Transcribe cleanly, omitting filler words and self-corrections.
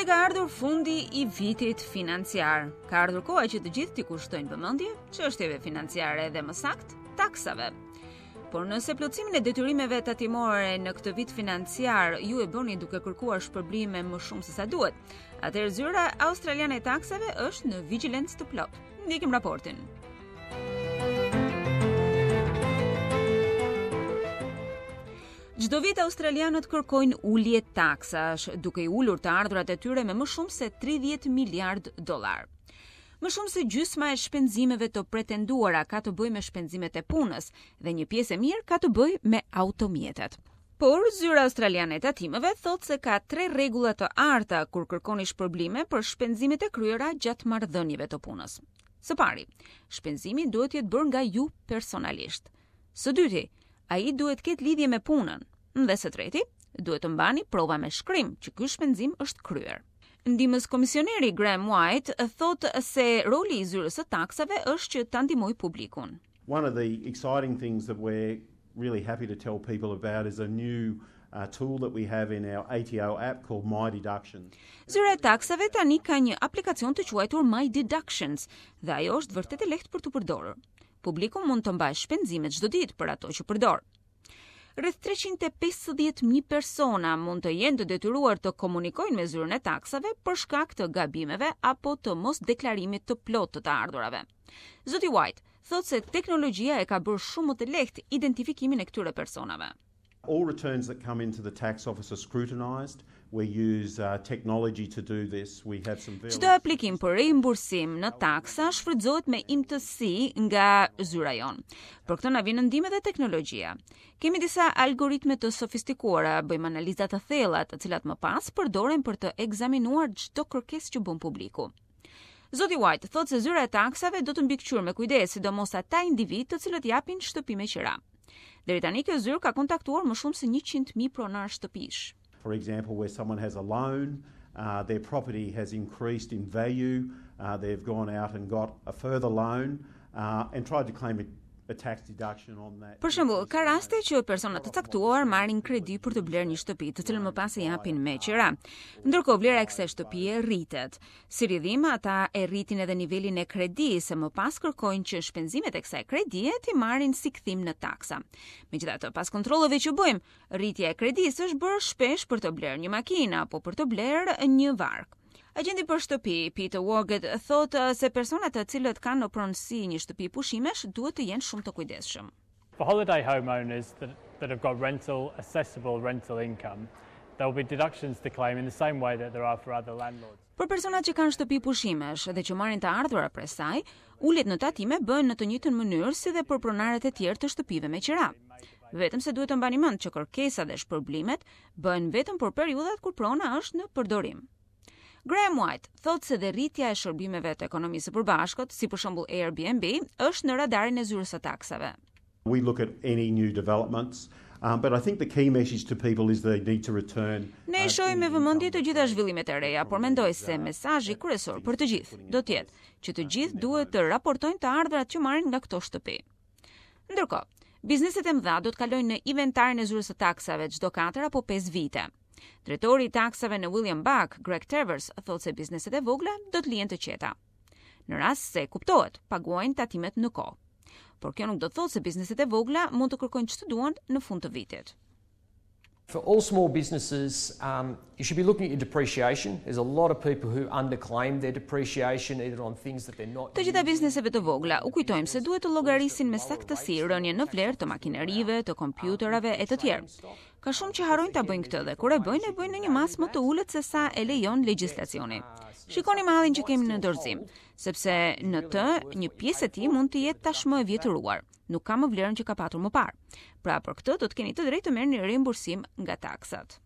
Se ka ardhur fundi i vitit financiar. Ka ardhur koha që të gjithë t'i kushtojnë vëmendje çështjeve financiare dhe më saktë taksave. Por nëse plotësimin e detyrimeve tatimore në këtë vit financiar ju e bëni duke kërkuar shpërblime më shumë se sa duhet, atëherë zyra australiane e taksave është në vigjilencë të plotë. Ndjekim raportin. Çdo vit australianët kërkojnë ulje taksash, duke i ulur të ardhurat e tyre me më shumë se 30 miliard dollar. Më shumë se gjysma e shpenzimeve të pretenduara ka të bëjë me shpenzimet e punës dhe një pjesë e mirë ka të bëjë me automjetet. Por, zyra australiane e tatimeve thotë se ka tre rregulla të arta kur kërkoni shpërblime për shpenzimet e kryera gjatë marrëdhënieve të punës. Së pari, shpenzimi duhet të jetë bërë nga ju personalisht. Së dyti, ai duhet të ketë lidhje me punën. Dhe së treti, duhet të mbani prova me shkrim që ky shpenzim është kryer. Ndihmës komisioneri Graham White thotë se roli i zyrës së taksave është që ta ndihmojë publikun. One of the exciting things that we're really happy to tell people about is a new uh, tool that we have in our ATO app called My Deductions. Zyra e taksave tani ka një aplikacion të quajtur My Deductions dhe ajo është vërtet e lehtë për t'u përdorur. Publiku mund të mbajë shpenzimet çdo ditë për ato që përdor. Rreth 350.000 persona mund të jenë të detyruar të komunikojnë me zyrën e taksave për shkak të gabimeve apo të mosdeklarimit të plotë të të ardhurave. Zoti White thotë se teknologjia e ka bërë shumë më të lehtë identifikimin e këtyre personave. All returns that come into the tax office are scrutinized. We use uh, technology to do this. We have some very Çdo aplikim për rimbursim në taksa shfrytëzohet me imtësi nga zyra jonë. Për këtë na vjen në ndihmë edhe teknologjia. Kemi disa algoritme të sofistikuara, bëjmë analiza të thella, të cilat më pas përdoren për të ekzaminuar çdo kërkesë që bën publiku. Zoti White thotë se zyra e taksave do të mbikëqyrë me kujdes, sidomos ata individë të cilët japin shtëpi me qira. Deri tani kjo zyrë ka kontaktuar më shumë se 100.000 pronarë shtëpish. For example, where someone has a loan, uh, their property has increased in value, uh, they've gone out and got a further loan uh, and tried to claim a a tax deduction on that. Për shembull, ka raste që persona të caktuar marrin kredi për të blerë një shtëpi, të cilën më pas e japin me qira. Ndërkohë vlera e kësaj shtëpie rritet. Si rrjedhim, ata e rritin edhe nivelin e kredisë, e më pas kërkojnë që shpenzimet e kësaj kredie t'i marrin si kthim në taksa. Megjithatë, pas kontrolleve që bëjmë, rritja e kredisë është bërë shpesh për të blerë një makinë apo për të blerë një varkë. Agjenti për shtëpi, Peter Wargett, thotë se personat të cilët kanë në pronësi një shtëpi pushimesh duhet të jenë shumë të kujdesshëm. For holiday homeowners that, that have got rental, assessable rental income, there will be deductions to claim in the same way that there are for other landlords. Për personat që kanë shtëpi pushimesh dhe që marrin të ardhura prej saj, uljet në tatime bëhen në të njëjtën mënyrë si dhe për pronarët e tjerë të shtëpive me qira. Vetëm se duhet të mbani mend që kërkesa dhe shpërblimet bëhen vetëm për periudhat kur prona është në përdorim. Graham White thotë se dhe rritja e shërbimeve të ekonomisë së përbashkët, si për shembull Airbnb, është në radarin e zyrës së taksave. We look at any new developments, um, but I think the key message to people is they need to return. Ne i shohim me vëmendje të gjitha zhvillimet e reja, por mendoj se mesazhi kryesor për të gjithë do të jetë që të gjithë duhet të raportojnë të ardhurat që marrin nga këto shtëpi. Ndërkohë, bizneset e mëdha do të kalojnë në inventarin e zyrës së taksave çdo 4 apo 5 vite. Drejtori i taksave në William Buck, Greg Travers, thotë se bizneset e vogla do të lihen të qeta. Në rast se kuptohet, paguajnë tatimet në kohë. Por kjo nuk do të thotë se bizneset e vogla mund të kërkojnë ç'të duan në fund të vitit. For all small businesses, um, you should be looking at your depreciation. There's a lot of people who underclaim their depreciation either on things that they're not Të gjitha bizneseve të vogla u kujtojmë se duhet të llogarisin me saktësi rënien në vlerë të makinerive, të kompjuterave e të tjerë. Ka shumë që harrojnë ta bëjnë këtë dhe kur e bëjnë, e bëjnë në një masë më të ulët se sa e lejon legjislacioni. Shikoni mallin që kemi në dorëzim, sepse në të një pjesë e tij mund të jetë tashmë e vjetëruar, nuk ka më vlerën që ka patur më parë. Pra për këtë do të keni të drejtë të merrni rimbursim nga taksat.